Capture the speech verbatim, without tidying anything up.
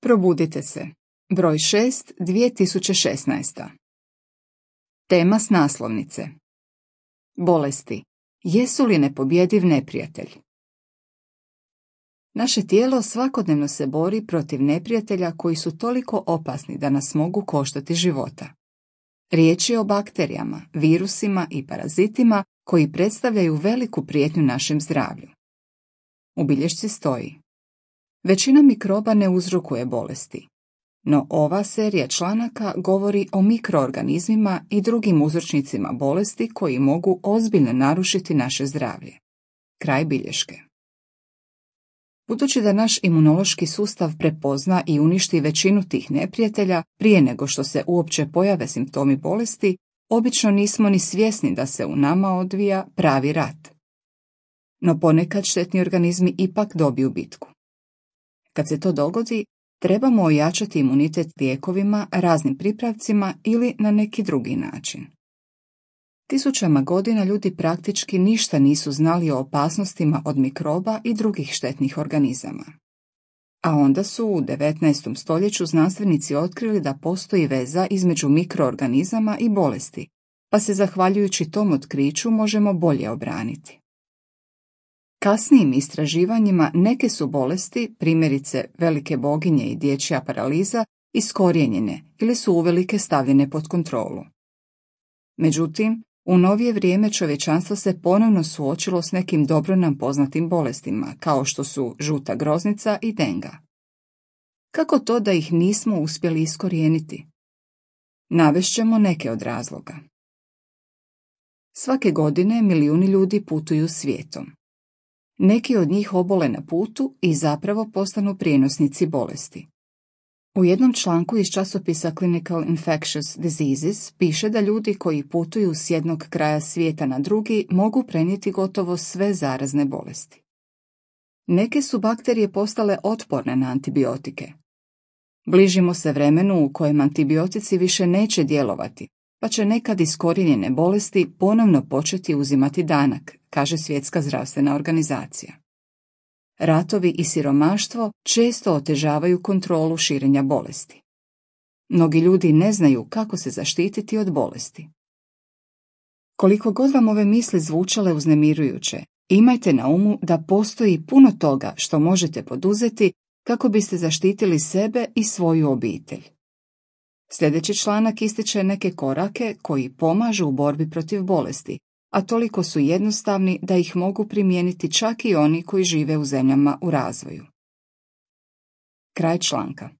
Probudite se. Broj šest, dvije tisuće šesnaest. Tema s naslovnice. Bolesti. Jesu li nepobjediv neprijatelj? Naše tijelo svakodnevno se bori protiv neprijatelja koji su toliko opasni da nas mogu koštati života. Riječ je o bakterijama, virusima i parazitima koji predstavljaju veliku prijetnju našem zdravlju. U bilješci stoji: većina mikroba ne uzrokuje bolesti, no ova serija članaka govori o mikroorganizmima i drugim uzročnicima bolesti koji mogu ozbiljno narušiti naše zdravlje. Kraj bilješke. Budući da naš imunološki sustav prepozna i uništi većinu tih neprijatelja prije nego što se uopće pojave simptomi bolesti, obično nismo ni svjesni da se u nama odvija pravi rat. No ponekad štetni organizmi ipak dobiju bitku. Kad se to dogodi, trebamo ojačati imunitet lijekovima, raznim pripravcima ili na neki drugi način. Tisućama godina ljudi praktički ništa nisu znali o opasnostima od mikroba i drugih štetnih organizama. A onda su u devetnaestom stoljeću znanstvenici otkrili da postoji veza između mikroorganizama i bolesti, pa se zahvaljujući tom otkriću možemo bolje obraniti. Kasnijim istraživanjima neke su bolesti, primjerice velike boginje i dječja paraliza, iskorijenjene ili su uvelike stavljene pod kontrolu. Međutim, u novije vrijeme čovječanstvo se ponovno suočilo s nekim dobro nam poznatim bolestima, kao što su žuta groznica i denga. Kako to da ih nismo uspjeli iskorijeniti? Navešćemo neke od razloga. Svake godine milijuni ljudi putuju svijetom. Neki od njih obole na putu i zapravo postanu prijenosnici bolesti. U jednom članku iz časopisa Clinical Infectious Diseases piše da ljudi koji putuju s jednog kraja svijeta na drugi mogu prenijeti gotovo sve zarazne bolesti. Neke su bakterije postale otporne na antibiotike. Bližimo se vremenu u kojem antibiotici više neće djelovati, pa će nekad iskorijenjene bolesti ponovno početi uzimati danak, kaže Svjetska zdravstvena organizacija. Ratovi i siromaštvo često otežavaju kontrolu širenja bolesti. Mnogi ljudi ne znaju kako se zaštititi od bolesti. Koliko god vam ove misli zvučale uznemirujuće, imajte na umu da postoji puno toga što možete poduzeti kako biste zaštitili sebe i svoju obitelj. Sljedeći članak ističe neke korake koji pomažu u borbi protiv bolesti, a toliko su jednostavni da ih mogu primijeniti čak i oni koji žive u zemljama u razvoju. Kraj članka.